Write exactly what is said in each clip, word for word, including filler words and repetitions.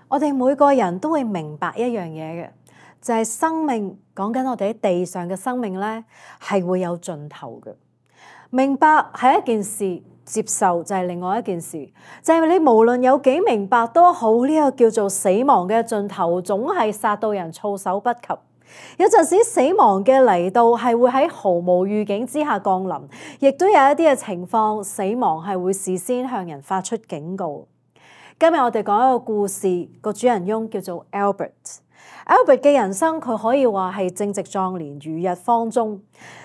我哋每個人都會明白一樣嘢嘅，就係生命，講緊我哋喺地上嘅生命咧，係會有盡頭嘅。明白係一件事，接受就係另外一件事。就係你無論有幾明白都好，呢個叫做死亡嘅盡頭，總係殺到人措手不及。有陣時死亡嘅嚟到係會喺毫無預警之下降臨，亦都有一啲嘅情況，死亡係會事先向人發出警告。今日我哋講一個故事，個主人翁叫做 Albert。Albert 嘅人生佢可以話係正值壯年，如日方中，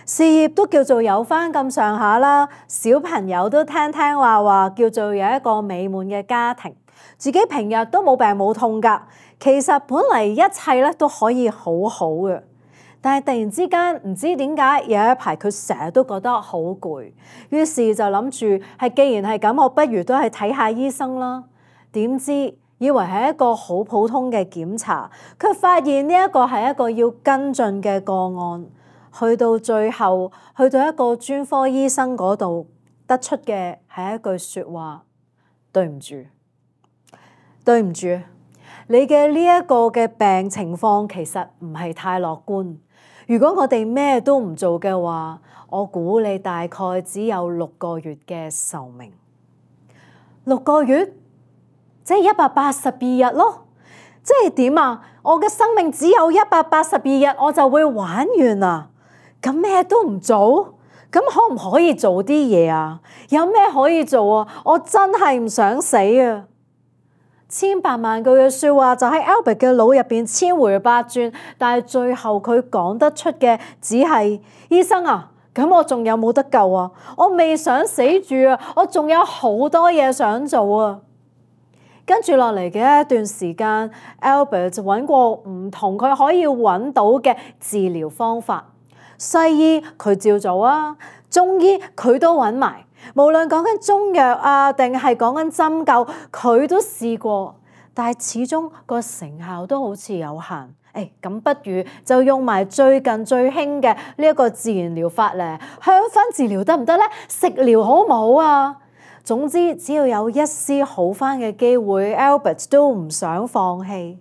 事業都叫做有返咁上下啦，小朋友都聽聽話話，叫做有一個美滿嘅家庭，自己平日都冇病冇痛㗎。其實本嚟一切咧都可以好好嘅，但係突然之間唔知點解有一排佢成日都覺得好攰，於是就諗住係既然係咁，我不如都係睇下醫生啦。點知以為係一個好普通嘅檢查，卻發現呢一個係一個要跟進嘅個案。去到最後，去到一個專科醫生嗰度，得出嘅係一句説話：對唔住，對唔住，你嘅呢一個嘅病情況其實唔係太樂觀。如果我哋咩都唔做嘅話，我估你大概只有六個月嘅壽命。六個月？即係一百八十二日咯，即係點啊？我嘅生命只有一百八十二日，我就會玩完啦。咁咩都唔做，咁可唔可以做啲嘢啊？有咩可以做啊？我真係唔想死啊！千百萬句嘅説話就喺 Albert 嘅腦入邊千回百轉，但係最後佢講得出嘅只係：醫生啊，咁我仲有冇得救啊？我未想死住啊，我仲有好多嘢想做啊！跟住落嚟嘅一段時間 ，Albert 就揾過唔同佢可以揾到嘅治療方法。西醫佢照做啊，中醫佢都揾埋。無論講緊中藥啊，定係講緊針灸，佢都試過，但係始終個成效都好似有限。誒，咁不如就用埋最近最興嘅呢一個自然療法咧，香薰治療得唔得咧？食療好唔好啊？總之，只要有一絲好返嘅機會 ，Albert 都唔想放棄。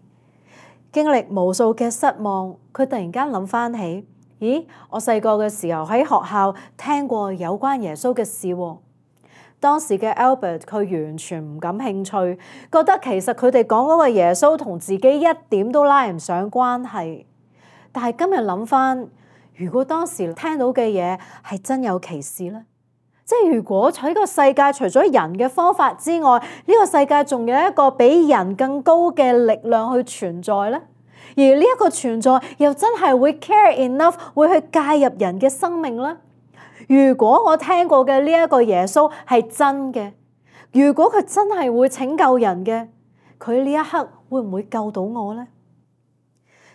經歷無數嘅失望，佢突然間諗返起，咦，我細個嘅時候喺學校聽過有關耶穌嘅事喎。當時嘅 Albert 佢完全唔感興趣，覺得其實佢哋講嗰個耶穌同自己一點都拉唔上關係。但係今日諗返，如果當時聽到嘅嘢係真有其事呢？即係如果喺個世界除咗人嘅方法之外，呢個世界仲有一個比人更高嘅力量去存在呢？而呢一個存在又真係會 care enough 會去介入人嘅生命呢？如果我聽過嘅呢一個耶穌係真嘅，如果佢真係會拯救人嘅，佢呢一刻會唔會救到我呢？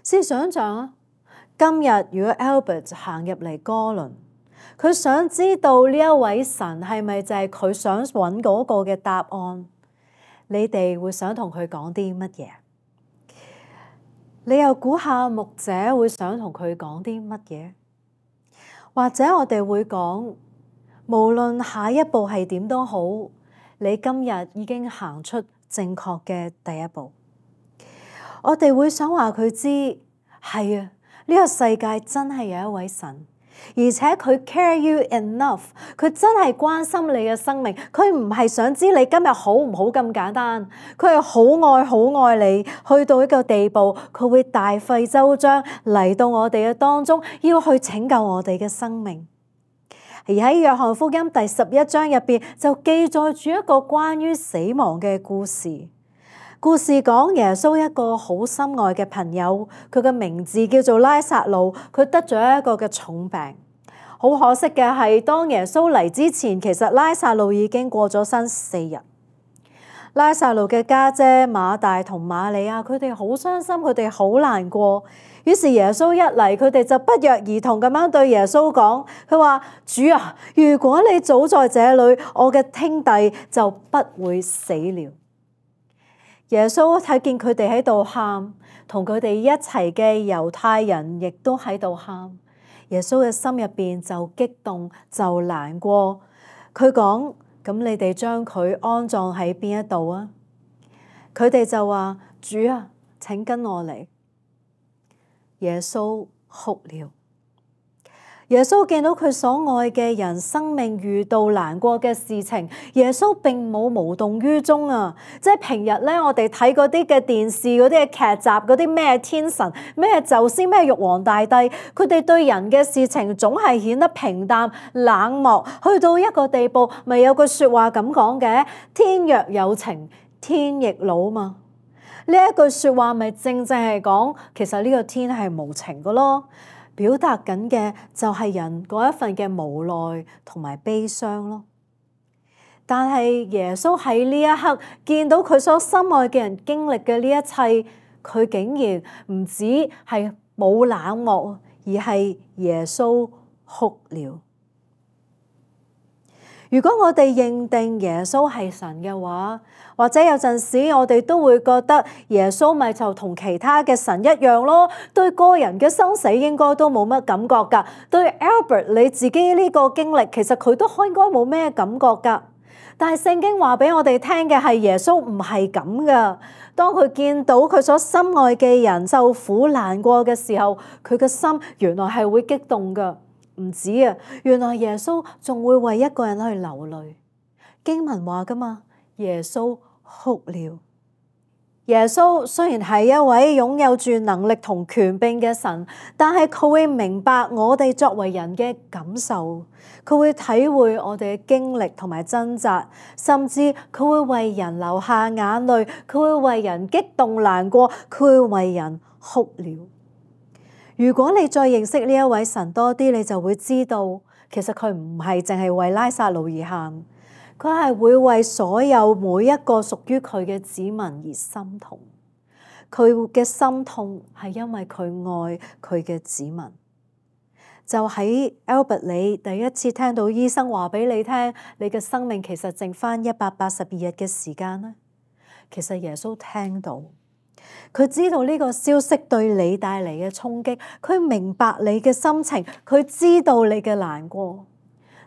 試想像啊，今日如果 Albert 行入嚟哥倫，佢想知道呢一位神係咪就係佢想揾嗰個嘅答案？你哋會想同佢講啲乜嘢？你又估下牧者會想同佢講啲乜嘢？或者我哋會講，無論下一步係點都好，你今日已經行出正確嘅第一步。我哋會想話佢知，係啊，呢個世界真係有一位神。而且佢 care you enough， 佢真係關心你嘅生命，佢唔係想知你今日好唔好咁簡單，佢係好愛好愛你，去到一個地步，佢會大費周章嚟到我哋嘅當中，要去拯救我哋嘅生命。而喺約翰福音第十一章入邊就記載住一個關於死亡嘅故事。故事講耶穌一個好心愛嘅朋友，佢嘅名字叫做拉撒路，佢得咗一個嘅重病。好可惜嘅係，當耶穌嚟之前，其實拉撒路已經過咗身四日。拉撒路嘅家姐馬大同瑪利亞，佢哋好傷心，佢哋好難過。於是耶穌一嚟，佢哋就不約而同咁樣對耶穌講，佢話：主啊，如果你早在這裏，我嘅兄弟就不會死了。耶穌睇見佢哋喺度喊，同佢哋一齊嘅猶太人亦都喺度喊。耶穌嘅心入邊就激動，就難過。佢講：咁你哋將佢安葬喺邊一度啊？佢哋就話：主啊，請跟我嚟。耶穌哭了。耶穌見到佢所愛嘅人生命遇到難過嘅事情，耶穌並冇無動於衷啊！即係平日咧，我哋睇嗰啲嘅電視、嗰啲嘅劇集、嗰啲咩天神、咩宙斯、咩玉皇大帝，佢哋對人嘅事情總係顯得平淡冷漠，去到一個地步，咪有句説話咁講嘅：天若有情，天亦老嘛。呢一句説話咪正正係講，其實呢個天係無情嘅咯。表達緊嘅就係人嗰一份嘅無奈同埋悲傷咯。但係耶穌喺呢一刻見到佢所心愛嘅人經歷嘅呢一切，佢竟然唔止係冇冷漠，而係耶穌哭了。如果我哋認定耶穌係神嘅話，或者有陣時我哋都會覺得耶穌咪就同其他嘅神一樣咯，對個人嘅生死應該都冇乜感覺㗎。對 Albert 你自己呢個經歷，其實佢都應該冇咩感覺㗎。但係聖經話俾我哋聽嘅係耶穌唔係咁㗎。當佢見到佢所心愛嘅人受苦難過嘅時候，佢嘅心原來係會激動㗎。唔止啊，原來耶穌仲會為一個人去流淚。經文話㗎嘛，耶穌哭了。耶穌雖然係一位擁有住能力同權柄嘅神，但係佢會明白我哋作為人嘅感受，佢會體會我哋嘅經歷同埋掙扎，甚至佢會為人流下眼淚，佢會為人激動難過，佢會為人哭了。如果你再認識呢一位神多啲，你就會知道，其實佢唔係淨係為拉撒路而喊，佢係會為所有每一個屬於佢嘅子民而心痛。佢嘅心痛係因為佢愛佢嘅子民。就喺 Albert 你第一次聽到醫生話俾你聽，你嘅生命其實剩返一百八十二日嘅時間咧，其實耶穌聽到。佢知道呢個消息對你帶嚟嘅衝擊，佢明白你嘅心情，佢知道你嘅難過。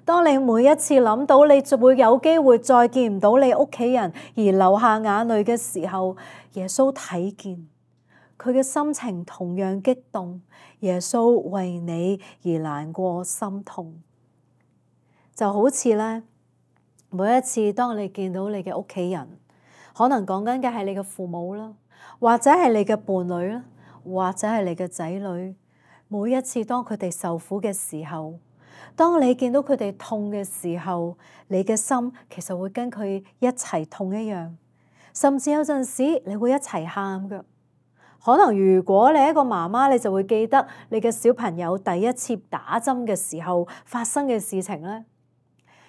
當你每一次諗到你就會有機會再見唔到你屋企人而流下眼淚嘅時候，耶穌睇見，佢嘅心情同樣激動。耶穌為你而難過心痛，就好似咧，每一次當你見到你嘅屋企人，可能講緊嘅係你嘅父母啦，或者係你嘅伴侶啦，或者係你嘅仔女。每一次當佢哋受苦嘅時候，當你見到佢哋痛嘅時候，你嘅心其實會跟佢一齊痛一樣，甚至有陣時你會一齊喊㗎。可能如果你係一個媽媽，你就會記得你嘅小朋友第一次打針嘅時候發生嘅事情咧。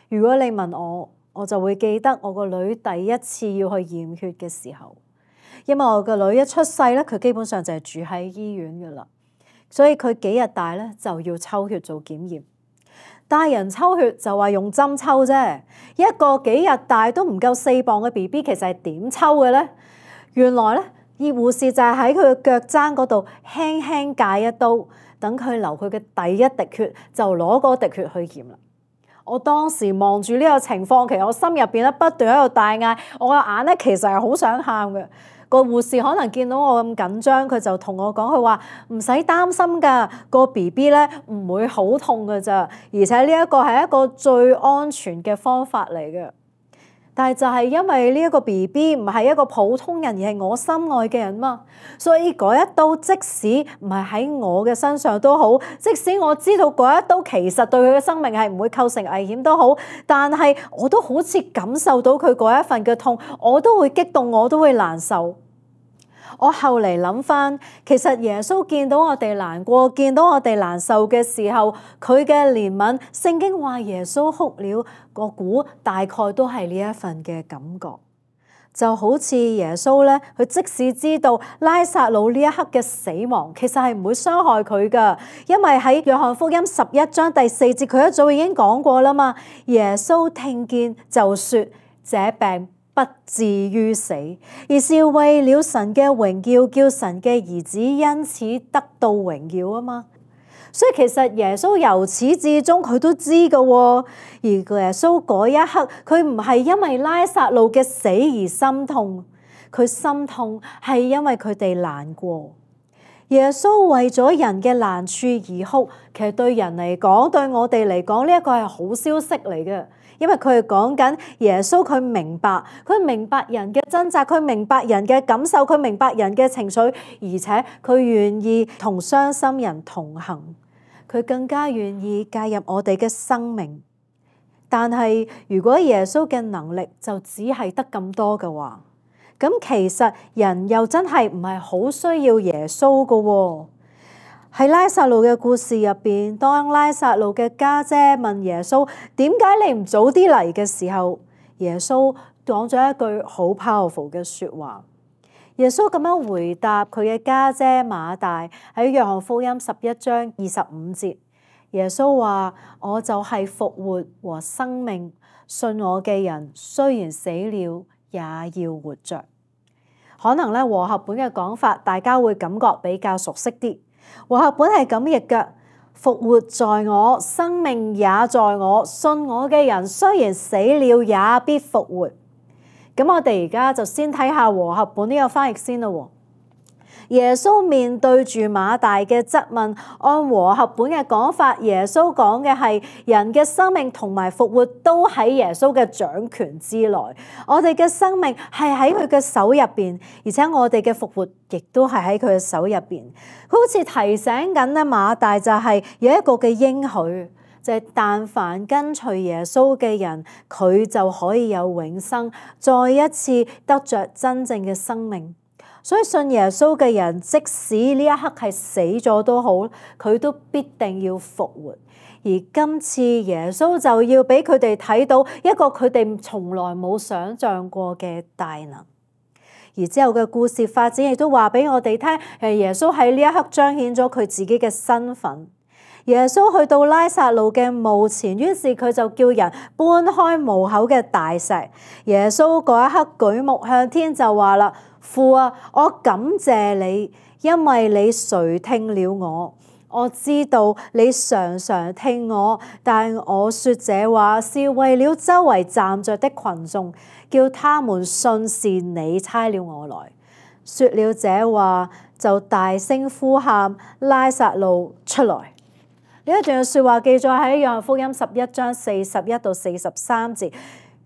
如果你問我，我就會記得我個女第一次要去驗血嘅時候，因為我個女一出世咧，佢基本上就係住喺醫院㗎啦，所以佢幾日大咧就要抽血做檢驗。大人抽血就話用針抽啫，一個幾日大都唔夠四磅嘅 B B 其實係點抽嘅咧？原來咧，醫護士就係喺佢嘅腳踭嗰度輕輕界一刀，等佢流佢嘅第一滴血，就攞嗰滴血去驗啦。我當時望住呢個情況，其實我心入邊咧不斷喺度大嗌，我個眼咧其實係好想喊嘅。個護士可能見到我咁緊張，佢就同我講，佢話唔使擔心㗎，個 B B 咧唔會好痛㗎咋，而且呢一個係一個最安全嘅方法嚟嘅。但係就係因為呢一個 B B 唔係一個普通人，而係我心愛嘅人嘛，所以嗰一刀即使唔係喺我嘅身上都好，即使我知道嗰一刀其實對佢嘅生命係唔會構成危險都好，但係我都好似感受到佢嗰一份嘅痛，我都會激動，我都會難受。我後嚟諗翻，其實耶穌見到我哋難過，見到我哋難受嘅時候，佢嘅憐憫，聖經話耶穌哭了，我估大概都係呢一份嘅感覺。就好似耶穌咧，佢即使知道拉撒路呢一刻嘅死亡，其實係唔會傷害佢噶，因為喺約翰福音十一章第四節，佢一早已經講過啦嘛。耶穌聽見就說：這病不至於死，而是為了神嘅榮耀，叫神嘅兒子因此得到榮耀啊嘛。所以其實耶穌由始至終佢都知㗎喎，而耶穌嗰一刻佢唔係因為拉撒路嘅死而心痛，佢心痛係因為佢哋難過。耶穌為咗人嘅難處而哭，其實對人嚟講，對我哋嚟講，呢一個係好消息嚟嘅，因為佢係講緊耶穌佢明白，佢明白人嘅掙扎，佢明白人嘅感受，佢明白人嘅情緒，而且佢願意同傷心人同行，佢更加願意介入我哋嘅生命。但係如果耶穌嘅能力就只係得咁多嘅話，咁其實人又真係唔係好需要耶穌㗎喎。喺拉撒路嘅故事入邊，當拉撒路嘅家姐問耶穌點解你唔早啲嚟嘅時候，耶穌講咗一句好 powerful 嘅説話。耶穌咁樣回答佢嘅家姐馬大，喺約翰福音十一章二十五節，耶穌話：我就係復活和生命，信我嘅人雖然死了，也要活着。可能咧和合本嘅講法，大家會感覺比較熟悉啲。和合本係咁譯嘅：復活在我，生命也在我，信我嘅人雖然死了，也必復活。咁我哋而家就先睇下和合本呢個翻譯先啦。耶穌面對住馬大嘅質問，按和合本嘅講法，耶穌講嘅係人嘅生命同埋復活都喺耶穌嘅掌權之內。我哋嘅生命係喺佢嘅手入邊，而且我哋嘅復活亦都係喺佢嘅手入邊。佢好似提醒緊咧馬大，就係有一個嘅應許，就係但凡跟隨耶穌嘅人，佢就可以有永生，再一次得着真正嘅生命。所以信耶穌嘅人，即使呢一刻係死咗都好，佢都必定要復活。而今次耶穌就要俾佢哋睇到一個佢哋從來冇想象過嘅大能。而之後嘅故事發展亦都話俾我哋聽，誒耶穌喺呢一刻彰顯咗佢自己嘅身份。耶穌去到拉撒路嘅墓前，於是佢就叫人搬開墓口嘅大石。耶穌嗰一刻舉目向天就話啦：父啊，我感謝你，因為你垂聽了我。我知道你常常聽我，但我說這話是為了周圍站着的群眾，叫他們信是你差了我來。說了這話，就大聲呼喊：拉撒路出來！呢一段嘅説話記載喺約翰福音十一章四十一到四十三節。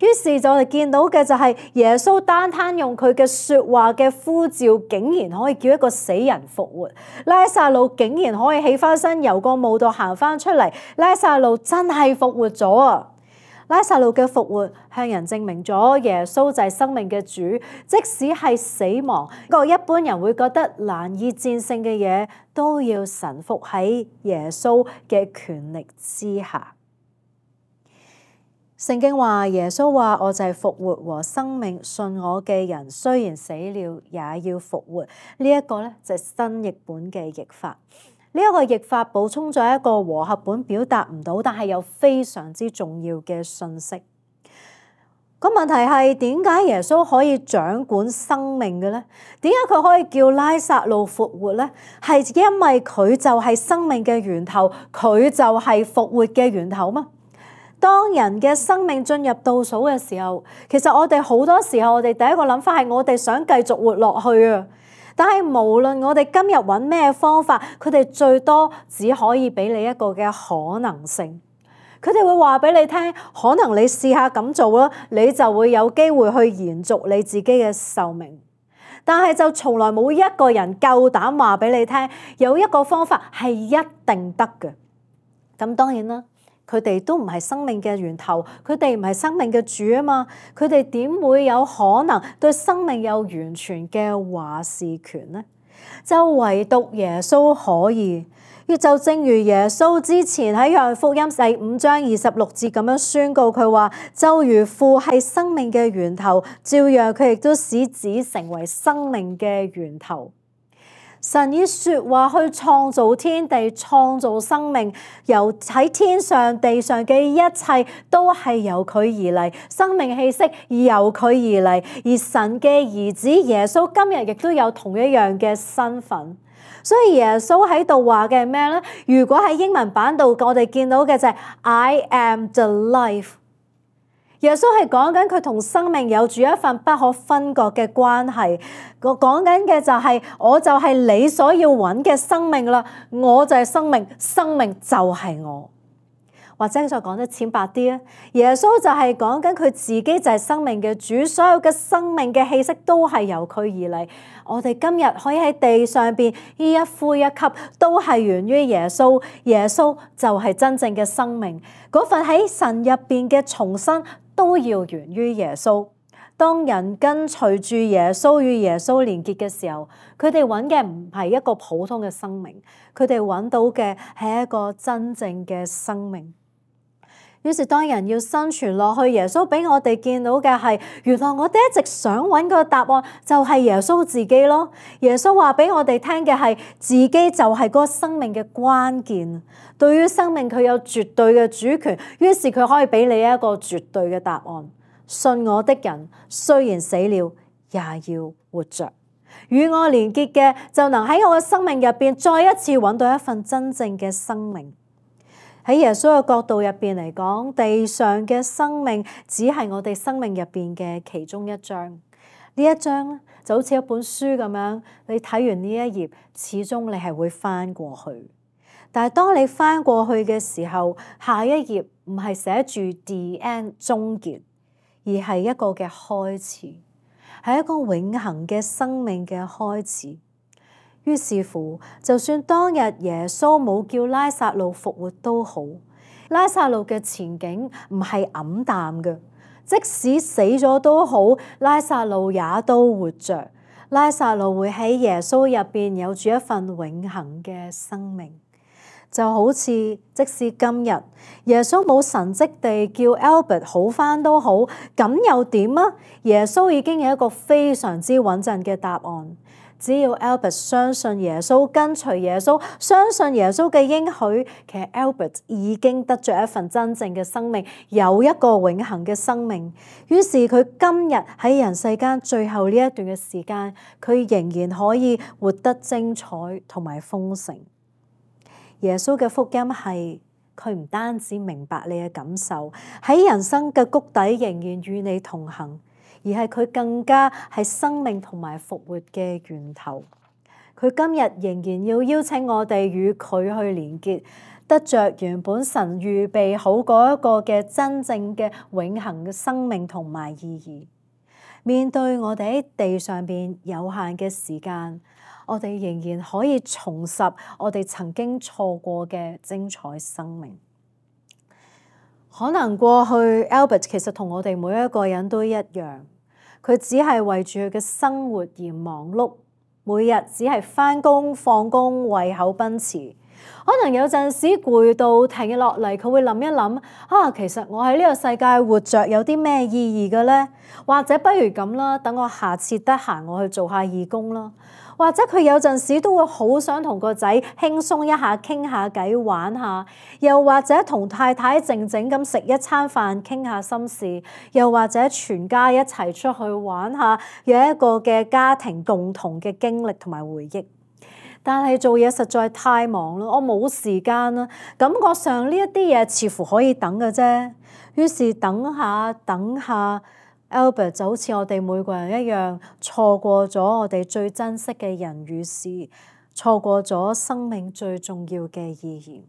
於是就我哋見到嘅就係耶穌單單用佢嘅説話嘅呼召，竟然可以叫一個死人復活。拉撒路竟然可以起翻身，由個墓度行翻出嚟。拉撒路真係復活咗啊！拉撒路嘅復活向人證明咗耶穌就係生命嘅主，即使係死亡，個一般人會覺得難以戰勝嘅嘢，都要臣服喺耶穌嘅權力之下。聖經話耶穌話：我就係復活和生命，信我嘅人雖然死了，也要復活。呢一個咧就係新譯本嘅譯法。呢一個譯法補充咗一個和合本表達唔到，但係又非常之重要嘅信息。個問題係點解耶穌可以掌管生命嘅咧？點解佢可以叫拉撒路復活咧？係因為佢就係生命嘅源頭，佢就係復活嘅源頭嘛。當人嘅生命進入倒數嘅時候，其實我哋好多時候，我哋第一個諗法係我哋想繼續活落去啊。但係無論我哋今日揾咩方法，佢哋最多只可以俾你一個嘅可能性。佢哋會話俾你聽，可能你試下咁做啦，你就會有機會去延續你自己嘅壽命。但係就從來冇一個人夠膽話俾你聽，有一個方法係一定得嘅。咁當然啦。佢哋都唔係生命嘅源頭，佢哋唔係生命嘅主啊嘛，佢哋點會有可能對生命有完全嘅話事權呢？就唯獨耶穌可以。亦就正如耶穌之前喺約翰福音第五章二十六節咁樣宣告，佢話：就如父係生命嘅源頭，照樣佢亦都使子成為生命嘅源頭。神以說話去創造天地，創造生命，由喺天上地上嘅一切都係由佢而嚟，生命氣息由佢而嚟。而神嘅兒子耶穌今日亦都有同一樣嘅身份。所以耶穌喺度話嘅係咩咧？如果喺英文版度我哋見到嘅就係 I am the life。耶穌係講緊佢同生命有住一份不可分割嘅關係。我講緊嘅就係、是、我就係你所要揾嘅生命啦，我就係生命，生命就係我。或者再講得淺白啲啊，耶穌就係講緊佢自己就係生命嘅主，所有嘅生命嘅氣息都係由佢而嚟。我哋今日可以喺地上邊呢一呼一吸，都係源於耶穌。耶穌就係真正嘅生命，嗰份喺神入邊嘅重生都要源於耶穌。當人跟隨住耶穌與耶穌連結嘅時候，佢哋揾嘅唔係一個普通嘅生命，佢哋揾到嘅係一個真正嘅生命。於是當人要生存落去，耶穌俾我哋見到嘅係，原來我哋一直想揾個答案就係耶穌自己咯。耶穌話俾我哋聽嘅係，自己就係嗰個生命嘅關鍵。對於生命佢有絕對嘅主權，於是佢可以俾你一個絕對嘅答案。信我的人雖然死了，也要活着。與我連結嘅就能喺我嘅生命入邊再一次揾到一份真正嘅生命。喺耶穌嘅角度入邊嚟講，地上嘅生命只係我哋生命入邊嘅其中一章。呢一章咧就好似一本書咁樣，你睇完呢一頁，始終你係會翻過去。但係當你翻過去嘅時候，下一頁唔係寫住 the end 終結，而係一個嘅開始，係一個永恆嘅生命嘅開始。於是乎，就算當日耶穌冇叫拉撒路復活都好，拉撒路嘅前景唔係黯淡嘅。即使死咗都好，拉撒路也都活着。拉撒路會喺耶穌入邊有住一份永恆嘅生命。就好似即使今日耶穌冇神蹟地叫 Albert 好返都好，咁又點啊？耶穌已經有一個非常之穩陣嘅答案。只要 Albert 相信耶穌，跟隨耶穌，相信耶穌嘅應許，其實 Albert 已經得着一份真正嘅生命，有一個永恆嘅生命。於是佢今日喺人世間最後呢一段嘅時間，佢仍然可以活得精彩同埋豐盛。耶穌嘅福音係佢唔單止明白你嘅感受，喺人生嘅谷底仍然與你同行。而係佢更加係生命同埋復活嘅源頭。佢今日仍然要邀請我哋與佢去連結，得着原本神預備好嗰一個嘅真正嘅永恆嘅生命同埋意義。面對我哋喺地上邊有限嘅時間，我哋仍然可以重拾我哋曾經錯過嘅精彩生命。可能過去 Albert 其實同我哋每一個人都一樣。佢只係為住佢嘅生活而忙碌，每日只係返工放工為口奔馳。可能有陣時攰到停落嚟，佢會諗一諗啊，其實我喺呢個世界活着有啲咩意義嘅呢？或者不如咁啦，等我下次得閒我去做下義工啦。或者佢有陣時都會好想同個仔輕鬆一下，傾下偈玩下，又或者同太太靜靜咁食一餐飯，傾下心事，又或者全家一齊出去玩下，有一個嘅家庭共同嘅經歷同埋回憶。但係做嘢實在太忙啦，我冇時間啦，感覺上呢一啲嘢似乎可以等嘅啫。於是等下等下。Albert 就好似我哋每個人一樣，錯過咗我哋最珍惜嘅人與事，錯過咗生命最重要嘅意義。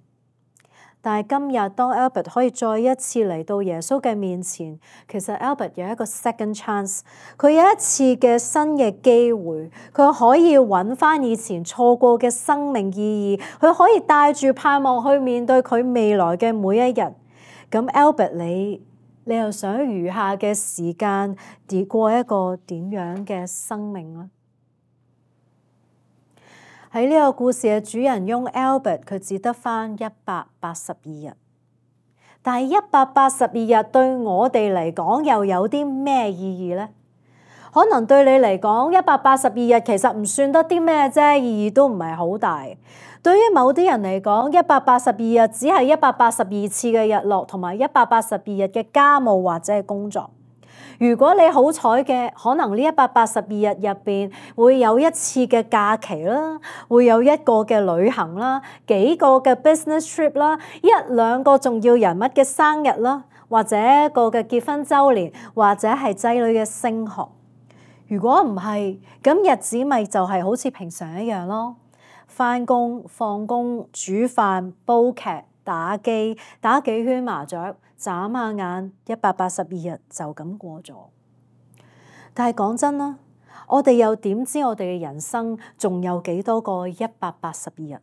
但係今日當 Albert 可以再一次嚟到耶穌嘅面前，其實 Albert 有一個 second chance， 佢有一次嘅新嘅機會，佢可以揾翻以前錯過嘅生命意義，佢可以帶住盼望去面對佢未來嘅每一日。咁 Albert 你？你又想餘下嘅時間跌過一個點樣嘅生命呢？喺呢個故事嘅主人翁 Albert， 佢只得返一百八十二日，但係一百八十二日對我哋嚟講又有啲咩意義呢？可能對你嚟講，一百八十二日其實唔算得啲咩啫，意義都唔係好大。對於某啲人嚟講，一百八十二日只係一百八十二次嘅日落，同埋一百八十二日嘅家務或者係工作。如果你好彩嘅，可能呢一百八十二日入邊會有一次嘅假期啦，會有一個嘅旅行啦，幾個嘅 business trip 啦，一兩個重要人物嘅生日啦，或者一個嘅結婚週年，或者係仔女嘅升學。如果唔係，咁日子咪就係好似平常一樣咯。返工、放工、煮飯、煲劇、打機、打幾圈麻雀，眨下眼，一百八十二日就咁過咗。但係講真啦，我哋又點知我哋嘅人生仲有幾多個一百八十二日？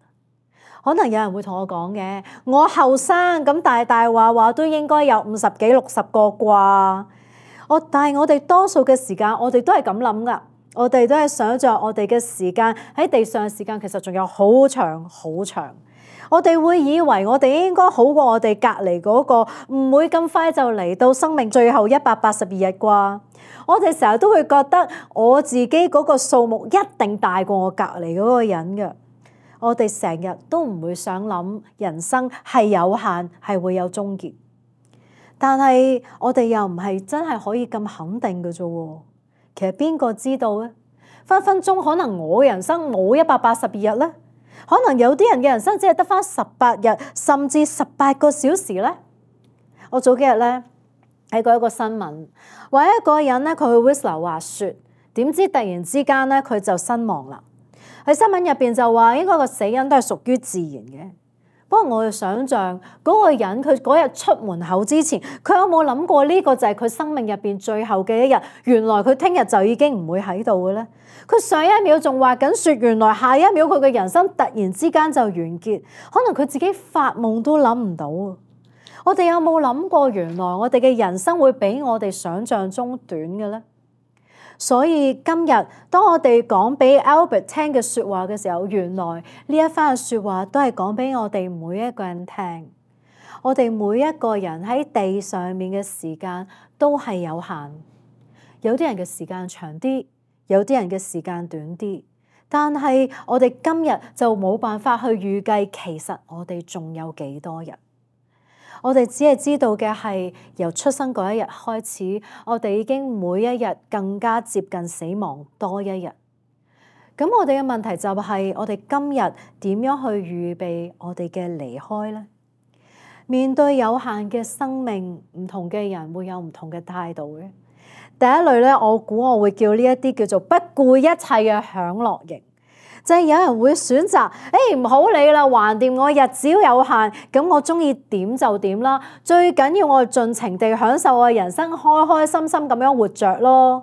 可能有人會同我講嘅，我後生咁大大話話都應該有五十幾六十個啩。我但係我哋多數嘅時間，我哋都係咁諗噶。我哋都係想像我哋嘅時間喺地上嘅時間，其實仲有好長好長。我哋會以為我哋應該好過我哋隔離嗰個，唔會咁快就嚟到生命最後一百八十二日啩。我哋成日都會覺得我自己嗰個數目一定大過我隔離嗰個人嘅。我哋成日都唔會想諗人生係有限，係會有終結。但係我哋又唔係真係可以咁肯定嘅啫喎。其實邊個知道咧？分分鐘可能我人生冇一百八十二日咧，可能有啲人嘅人生只係得返十八日，甚至十八個小時咧。我早幾日咧睇過一個新聞，話一個人咧佢去 Whistler 滑雪，點知突然之間咧佢就身亡啦。喺新聞入邊就話應該個死因都係屬於自然嘅。不過我哋想像嗰個人佢嗰日出門口之前，佢有冇諗過呢個就係佢生命入邊最後嘅一日？原來佢聽日就已經唔會喺度嘅咧。佢上一秒仲滑緊雪，原來下一秒佢嘅人生突然之間就完結。可能佢自己發夢都諗唔到。我哋有冇諗過原來我哋嘅人生會比我哋想像中短嘅咧？所以今日當我哋講俾 Albert 聽嘅説話嘅時候，原來呢一番嘅説話都係講俾我哋每一個人聽。我哋每一個人喺地上面嘅時間都係有限，有啲人嘅時間長啲，有啲人嘅時間短啲。但係我哋今日就冇辦法去預計，其實我哋仲有幾多日。我哋只係知道嘅係由出生嗰一日開始，我哋已經每一日更加接近死亡多一日。咁我哋嘅問題就係我哋今日點樣去預備我哋嘅離開呢？面對有限嘅生命，唔同嘅人會有唔同嘅態度嘅。第一類咧，我估我會叫呢一啲叫做不顧一切嘅享樂型。就係有人會選擇，誒唔好理啦，橫掂我日子有限，咁我中意點就點啦。最緊要我盡情地享受我嘅人生，開開心心咁樣活着咯。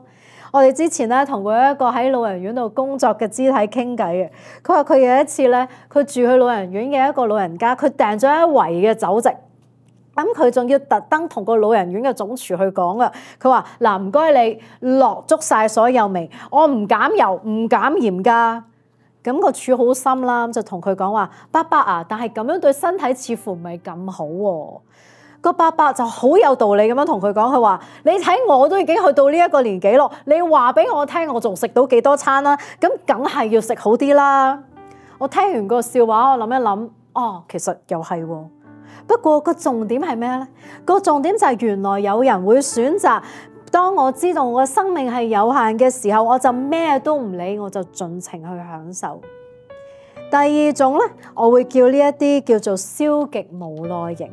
我哋之前咧同過一個喺老人院度工作嘅肢體傾偈嘅，佢話佢有一次咧，佢住去老人院嘅一個老人家，佢訂咗一圍嘅酒席，咁佢仲要特登同個老人院嘅總廚去講噶。佢話嗱，唔該你落足晒所有味，我唔減油唔減鹽㗎。咁個柱好心啦，就同佢講話：伯伯啊，但係咁樣對身體似乎唔係咁好喎。個伯伯就好有道理咁樣同佢講，佢話：你睇我都已經去到呢一個年紀咯，你話俾我聽，我仲食到幾多餐啦？咁梗係要食好啲啦。我聽完個笑話，我諗一諗，哦，其實又係喎。不過個重點係咩咧？個重點就係原來有人會選擇。當我知道我嘅生命係有限嘅時候，我就咩都唔理，我就盡情去享受。第二種咧，我會叫呢一啲叫做消極無奈型，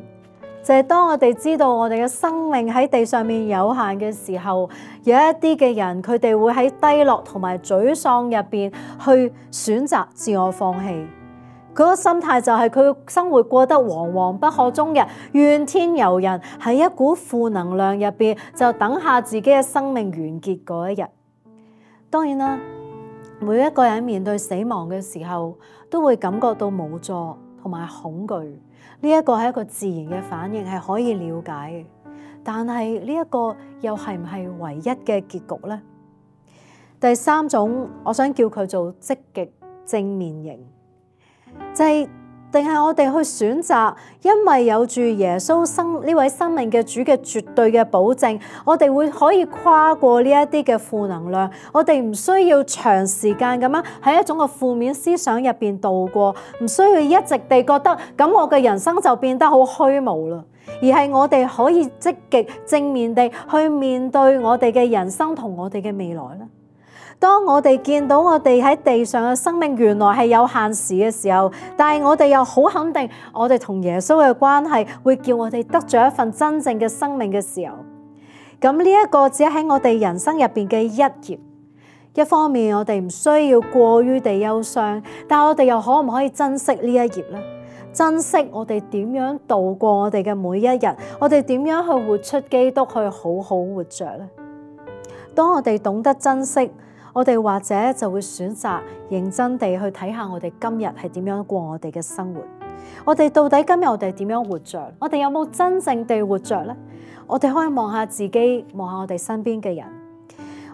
就係當我哋知道我哋嘅生命喺地上面有限嘅時候，有一啲嘅人佢哋會喺低落同埋沮喪入邊去選擇自我放棄。佢個心態就係佢生活過得惶惶不可終日，怨天尤人，喺一股負能量入邊就等下自己嘅生命完結嗰一日。當然啦，每一個人面對死亡嘅時候都會感覺到無助同埋恐懼，呢一個係一個自然嘅反應，係可以了解嘅。但係呢一個又係唔係唯一嘅結局呢？第三種，我想叫佢做積極正面型。就係定係我哋去選擇，因為有住耶穌生呢位生命嘅主嘅絕對嘅保證，我哋會可以跨過呢一啲嘅負能量，我哋唔需要長時間咁樣喺一種嘅負面思想入邊度過，唔需要一直地覺得咁我嘅人生就變得好虛無啦，而係我哋可以積極正面地去面對我哋嘅人生同我哋嘅未來啦。當我哋見到我哋喺地上嘅生命原來係有限時嘅時候，但係我哋又好肯定我哋同耶穌嘅關係會叫我哋得咗一份真正嘅生命嘅時候，咁呢一個只係喺我哋人生入邊嘅一頁。一方面我哋唔需要過於地憂傷，但我哋又可唔可以珍惜呢一頁呢？珍惜我哋點樣度過我哋嘅每一日，我哋點樣去活出基督，去好好活着呢？當我哋懂得珍惜，我哋或者就會選擇認真地去睇下我哋今日係點樣過我哋嘅生活。我哋到底今日我哋點樣活着？我哋有冇真正地活着呢？我哋可以望下自己，望下我哋身邊嘅人，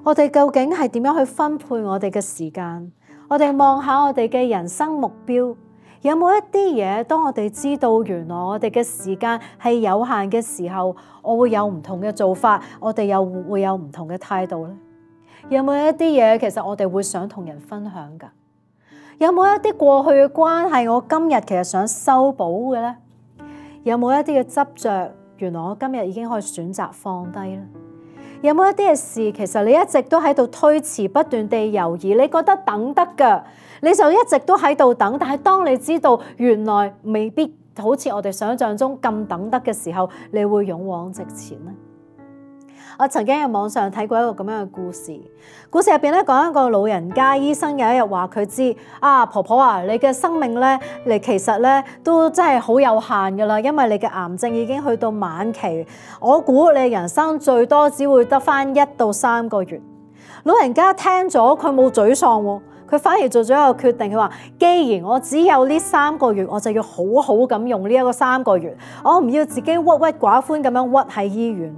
我哋究竟係點樣去分配我哋嘅時間？我哋望下我哋嘅人生目標，有冇一啲嘢，當我哋知道原來我哋嘅時間係有限嘅時候，我會有唔同嘅做法，我哋又會有唔同嘅態度呢？有冇一啲嘢其實我哋會想同人分享㗎？有冇一啲過去嘅關係我今日其實想修補嘅呢？有冇一啲嘅執着，原來我今日已經可以選擇放低呢？有冇一啲嘅事其實你一直都喺度推遲，不斷地猶豫，你覺得等得㗎，你就一直都喺度等，但係當你知道原來未必好似我哋想象中咁等得嘅時候，你會勇往直前呢？我曾經喺網上睇過一個咁樣嘅故事，故事入邊咧講一個老人家，醫生有一日話佢知啊，婆婆啊，你嘅生命咧，你其實咧都真係好有限噶啦，因為你嘅癌症已經去到晚期，我估你人生最多只會得翻一到三個月。老人家聽咗佢冇沮喪喎，佢反而做咗一個決定，佢話：既然我只有呢三個月，我就要好好咁用呢一個三個月，我唔要自己鬱鬱寡歡咁樣屈喺醫院。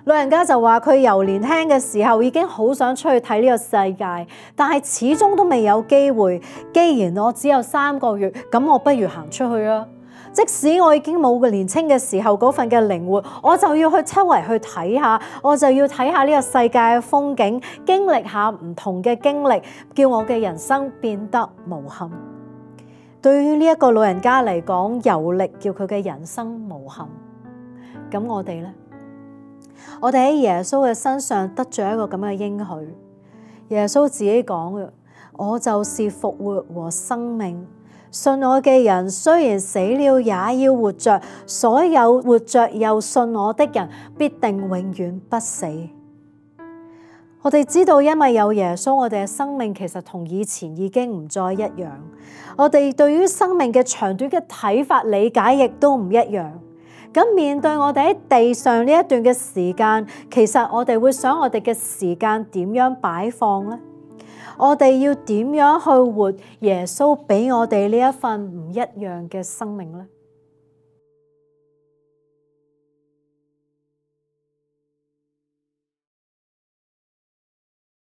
老人家就話佢由年輕嘅時候已經好想出去睇呢個世界，但係始終都未有機會。既然我只有三個月，咁我不如行出去啊！即使我已經冇個年輕嘅時候嗰份嘅靈活，我就要去周圍去睇下，我就要睇下呢個世界嘅風景，經歷下唔同嘅經歷，叫我嘅人生變得無憾。對於呢一個老人家嚟講，遊歷叫佢嘅人生無憾。咁我哋呢？我哋喺耶穌嘅身上得咗一個咁嘅應許。耶穌自己講嘅：我就是復活和生命，信我嘅人雖然死了也要活着，所有活着又信我的人必定永遠不死。我哋知道，因為有耶穌，我哋嘅生命其實同以前已經唔再一樣。我哋對於生命嘅長短嘅睇法理解亦都唔一樣。咁面對我哋喺地上呢一段嘅時間，其實我哋會想我哋嘅時間點樣擺放呢？我哋要點樣去活耶穌俾我哋呢一份唔一樣嘅生命呢？